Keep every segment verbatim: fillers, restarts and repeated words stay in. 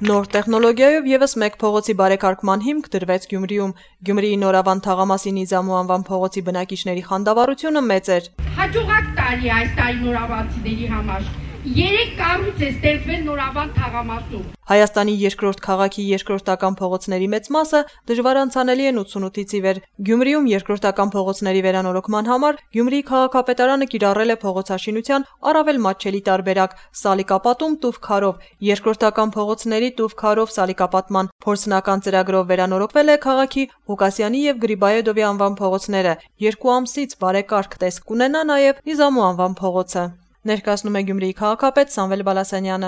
Նոր տեխնոլոգիայով ևս մեկ փողոցի բարեկարգման հիմք դրվեց Գյումրիում։ Գյումրիի Նորավան Թաղամասի Նիզամու անվան փողոցի բնակիչների խանդավառությունը մեծ էր։ Հաջողակ տարի այս տարի նորավանցիների համար։ Երեք կառույց է ստեղծվել Նորավան Թաղամասում։ Հայաստանի երկրորդ քաղաքի երկրորդական փողոցների մեծ մասը դժվար անցանելի են ութսունութից ի վեր։ Գյումրիում երկրորդական փողոցների վերանորոգման համար Գյումրիի քաղաքապետարանը կիրառել է փողոցաշինության առավել մատչելի տարբերակ՝ սալիկապատում տուֆ-քարով։ Երկրորդական փողոցների տուֆ-քարով սալիկապատման փորձնական ծրագրով վերանորոգվել է քաղաքի Ղուկասյանի եւ Գրիբայեդովի անվան փողոցները։ Երկու ամսից բարեկարգ տեսք կունենա նաեւ Նիզամու անվան փողոցը։ Ներկայացնում է Գյումրիի քաղաքապետ Սամվել Բալասանյանը։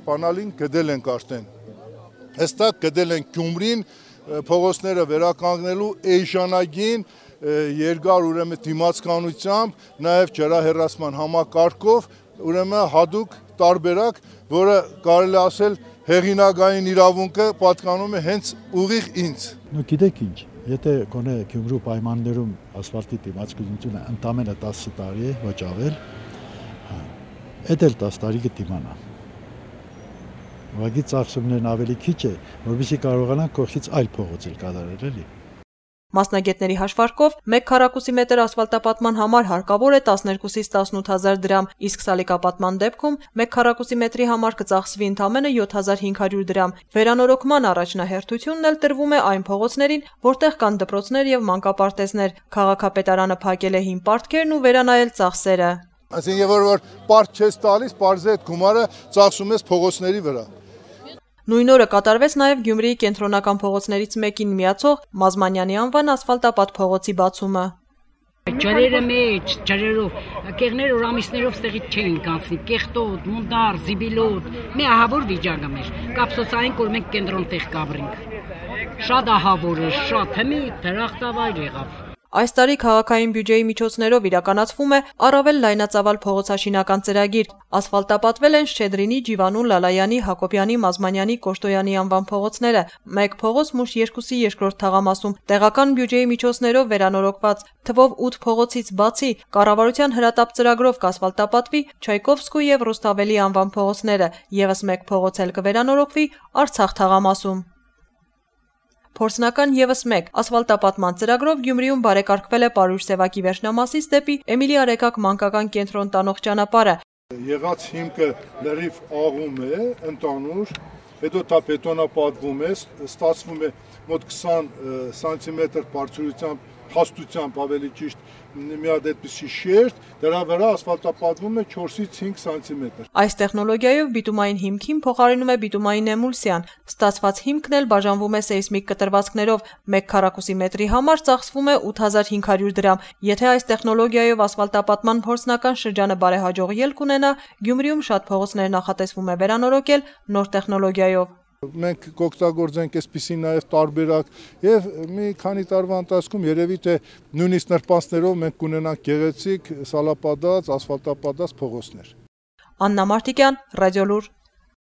Բանալին գդել ենք արդեն, հստակ գդել ենք Գյումրին փողոցները վերականգնելու էժանագին երկար ուրեմն դիմացականությամբ, նաև ջրահեռացման համակարգով, ուրեմն հadoop տարբերակ, որը կարելի ասել հեղինակային իրավունքը պատկանում է հենց ուղիղ ինձ։ Նու գիտեք ինչ, եթե գոնե Գյումրու պայմաններում ասֆալտի դիմացկունությունը ընդամենը տասը տարի է, ոչ ավել, այդ էլ տասը տարի կդիմանա։ Ուղղակի ծախսումներն ավելի քիչ է, որովհետեւ կարողանանք կողքից այլ փողոցեր կատարել էլի։ Մասնագետների հաշվարկով մեկ քառակուսի մետր ասֆալտապատման համար հարկավոր է տասներկուսից տասնութ հազար դրամ, իսկ սալիկապատման դեպքում մեկ քառակուսի մետրի համար կծախսվի ընդամենը յոթ հազար հինգ հարյուր դրամ։ Վերանորոգման առաջնահերթությունն էլ տրվում է այն փողոցներին, որտեղ կան դպրոցներ եւ մանկապարտեզներ։ Քաղաքապետարանը փակել է հին պարտքերն ու վերանայել ծախսերը։ Այսինքն, երբ որ պարտ չես տալիս, պարզե այդ գումարը ծախսում ես փողոցների վրա։ Նույն օրը կատարվեց նաև Գյումրիի կենտրոնական փողոցներից մեկին միացող Մազմանյանի անվան ասֆալտապատ փողոցի բացումը։ Ջրերը մեջ, ջրերով, կեղները որ ամիսներով ստեղից չէին կանցնի, կեղտոտ, մունդար, զիբիլոտ, մի ահավոր վիճակը մեր, կապսոցային որ մենք կենտրոն տեղ կաբրինք։ Շատ ահավոր է, շատ հմի դրախտավայր եղավ։ Այս տարի քաղաքային բյուջեի միջոցներով իրականացվում է առավել լայնածավալ փողոցաշինական ծրագիր։ Ասֆալտապատվել են Շչեդրինի, Ջիվանու, Լալայանի, Հակոբյանի, Մազմանյանի, Կոշտոյանի անվան փողոցները։ Մեկ փողոց Մուշ երկուսի երկրորդ թաղամասում տեղական բյուջեի միջոցներով վերանորոգված թվով ութ փողոցից բացի կառավարության հրատապ ծրագրով կասֆալտապատվի Չայկովսկու եւ Ռուստավելի անվան փողոցները, եւս մեկ փողոց էլ կվերանորոգվի Արցախ թաղամասում։ Փորձնական ևս մեկ ասֆալտապատման ծրագրով Գյումրիում բարեկարգվել է Պարուհ Սևակի վերջնամասից դեպի Էմիլի Արեգակ մանկական կենտրոն տանող ճանապարհը։ Եղած հիմքը լրիվ աղում է, ընդանուր, հետո դա բետոնապատվում է, ստացվում է մոտ քսան սանտիմետր բարձրությամբ, հաստությամբ ավելի ճիշտ մի հատ այդպիսի շերտ, դրա վրա ասֆալտապատվում է չորսից հինգ սանտիմետր։ Այս տեխնոլոգիայով բիտումային հիմքին փոխարինում է բիտումային էմուլսիան։ Ստացված հիմքն էլ բաժանվում է սեյսմիկ կտրվածքներով։ Մեկ քառակուսի մետրի համար ծախսվում է ութ հազար հինգ հարյուր դրամ։ Եթե այս տեխնոլոգիայով ասֆալտապատման փորձնական շրջանը բարեհաջող ելք ունենա, Գյումրիում շատ փողոցներ նախատեսվում է վերանորոգել նոր տեխնոլոգիայով։ Մենք կօգտագործենք այսպիսի նաև տարբերակ եւ մի քանի տարվա ընթացքում երևի թե նույնիսկ նրբանցներով մենք կունենանք գեղեցիկ սալապատած, ասֆալտապատած փողոցներ։ Աննա Մարտիկյան, Ռադիոլուր։